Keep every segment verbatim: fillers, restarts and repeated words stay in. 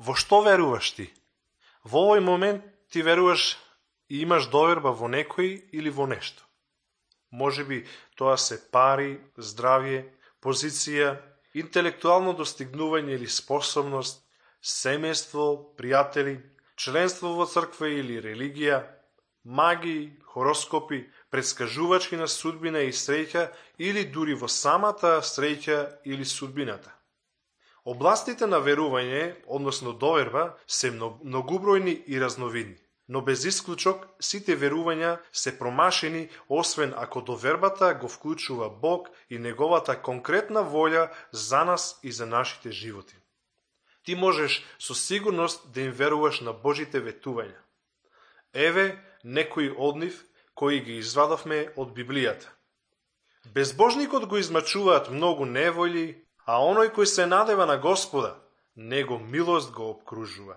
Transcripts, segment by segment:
Во што веруваш ти? Во овој момент ти веруваш и имаш доверба во некој или во нешто. Може би тоа се пари, здравје, позиција, интелектуално достигнување или способност, семејство, пријатели, членство во црква или религија, магии, хороскопи, предскажувачки на судбина и среќа или дури во самата среќа или судбината. Областите на верување, односно доверба, се многубројни и разновидни, но без исклучок сите верувања се промашени, освен ако довербата го вклучува Бог и неговата конкретна волја за нас и за нашите животи. Ти можеш со сигурност да им веруваш на Божите ветувања. Еве некои од нив кои ги извадовме од Библијата. Безбожникот го измачуваат многу неволји, а оној кој се надева на Господа, него милост го обкружува.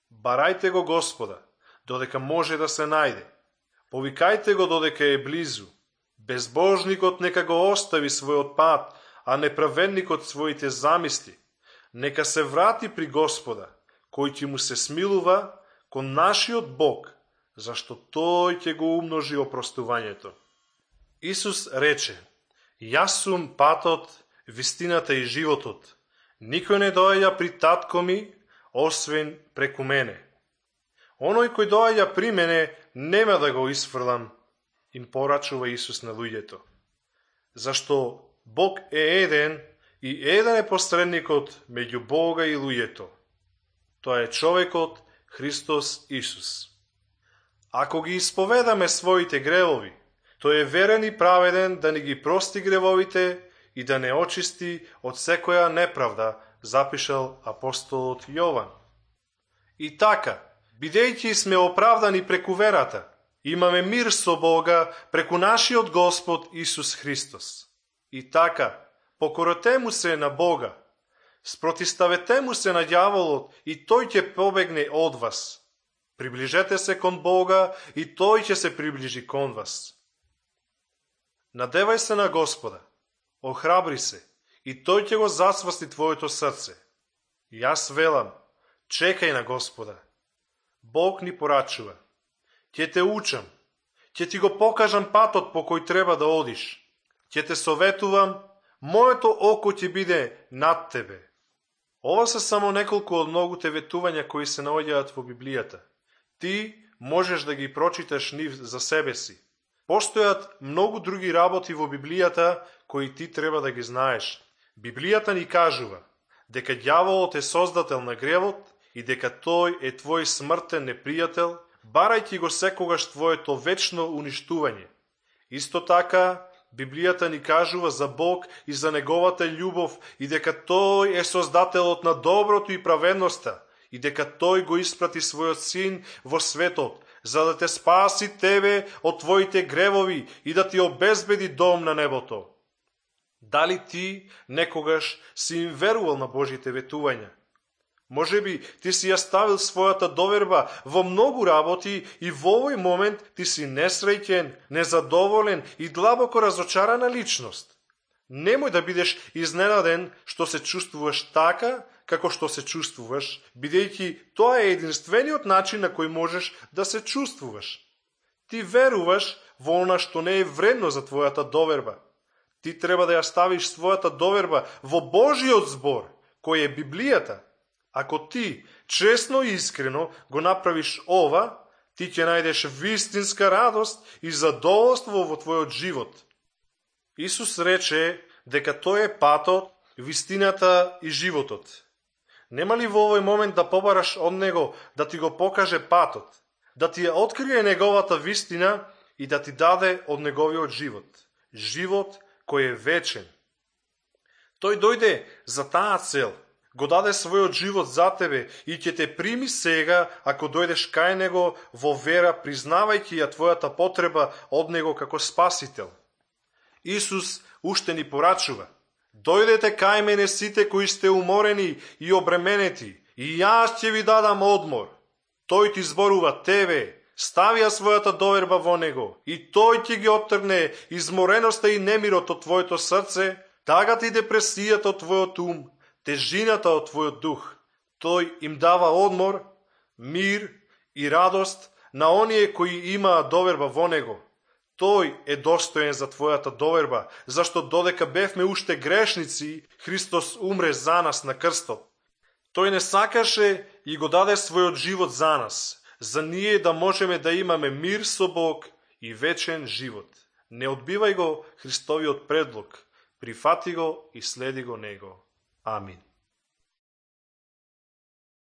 Барајте го Господа, додека може да се најде. Повикајте го додека е близу. Безбожникот нека го остави својот пат, а неправедникот своите замисли. Нека се врати при Господа, кој ќе му се смилува, кон нашиот Бог, зашто тој ќе го умножи опростувањето. Исус рече: Јас сум патот, вистината и животот. Никој не доаѓа при татко ми, освен преку мене. Оној кој доаѓа при мене, нема да го исфрлам, им порачува Исус на луѓето. Зашто Бог е еден и еден е посредникот меѓу Бога и луѓето. Тоа е човекот Христос Исус. Ако ги исповедаме своите гревови, тој е верен и праведен да ни ги прости гревовите и да не очисти од секоја неправда, запишал апостолот Јован. И така, бидејќи сме оправдани преку верата, имаме мир со Бога преку нашиот Господ Исус Христос. И така, покорете му се на Бога, спротиставете му се на ѓаволот и тој ќе побегне од вас. Приближете се кон Бога и тој ќе се приближи кон вас. Надевај се на Господа, охрабри се и тој ќе го засвасти твоето срце. Јас велам, чекај на Господа. Бог ни порачува. Ќе те учам, ќе ти го покажам патот по кој треба да одиш. Ќе те советувам, моето око ќе биде над тебе. Ова се само неколку од многуте ветувања кои се наоѓаат во Библијата. Ти можеш да ги прочиташ нив за себе си. Постојат многу други работи во Библијата кои ти треба да ги знаеш. Библијата ни кажува дека ѓаволот е создател на гревот и дека тој е твој смртен непријател, барајќи го секогаш твоето вечно уништување. Исто така, Библијата ни кажува за Бог и за неговата љубов и дека тој е создателот на доброто и праведноста и дека тој го испрати својот син во светот, за да те спаси тебе од твоите гревови и да ти обезбеди дом на небото. Дали ти некогаш си им верувал на Божите ветувања? Може би ти си ја ставил својата доверба во многу работи и во овој момент ти си несреќен, незадоволен и длабоко разочарана личност. Немој да бидеш изненаден што се чувствуваш така, како што се чувствуваш, бидејќи тоа е единствениот начин на кој можеш да се чувствуваш. Ти веруваш во она што не е вредно за твојата доверба. Ти треба да ја ставиш својата доверба во Божиот збор, кој е Библијата. Ако ти честно и искрено го направиш ова, ти ќе најдеш вистинска радост и задоволство во твојот живот. Исус рече дека тој е патот, вистината и животот. Нема ли во овој момент да побараш од него да ти го покаже патот, да ти ја открие неговата вистина и да ти даде од неговиот живот? Живот кој е вечен. Тој дојде за таа цел, го даде својот живот за тебе и ќе те прими сега ако дојдеш кај него во вера, признавајќи ја твојата потреба од него како спасител. Исус уште ни порачува: дојдете кај мене сите кои сте уморени и обременети, и јас ќе ви дадам одмор. Тој ти зборува тебе, стави ја својата доверба во него и тој ќе ги оттргне измореноста и немирот од твоето срце, тагата и депресијата од твојот ум, тежината од твојот дух. Тој им дава одмор, мир и радост на оние кои имаат доверба во Него. Тој е достоен за твојата доверба, зашто додека бевме уште грешници, Христос умре за нас на крстот. Тој не сакаше и го даде својот живот за нас, за ние да можеме да имаме мир со Бог и вечен живот. Не одбивај го Христовиот предлог, прифати го и следи го Него. Амин.